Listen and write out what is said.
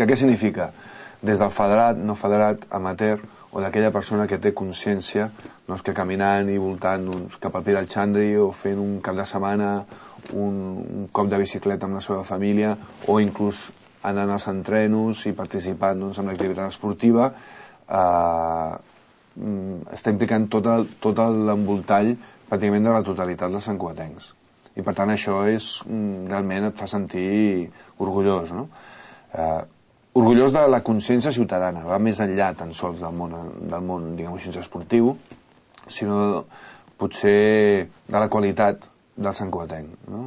Que què significa? Des del federat, no federat, amateur, o d'aquella persona que té consciència, doncs, que caminant i voltant cap al Pi del Xandri o fent un cap de setmana un cop de bicicleta amb la seva família o inclús anant als entrenos i participant en l'activitat esportiva, està implicant tot l'envoltall pràcticament de la totalitat dels santcugatencs. I per tant això realment et fa sentir orgullós, no? Orgullós de la consciència ciutadana, va més enllà tan sols del món diguem-ho, esportiu, sinó potser de la qualitat del santcugatenc, no?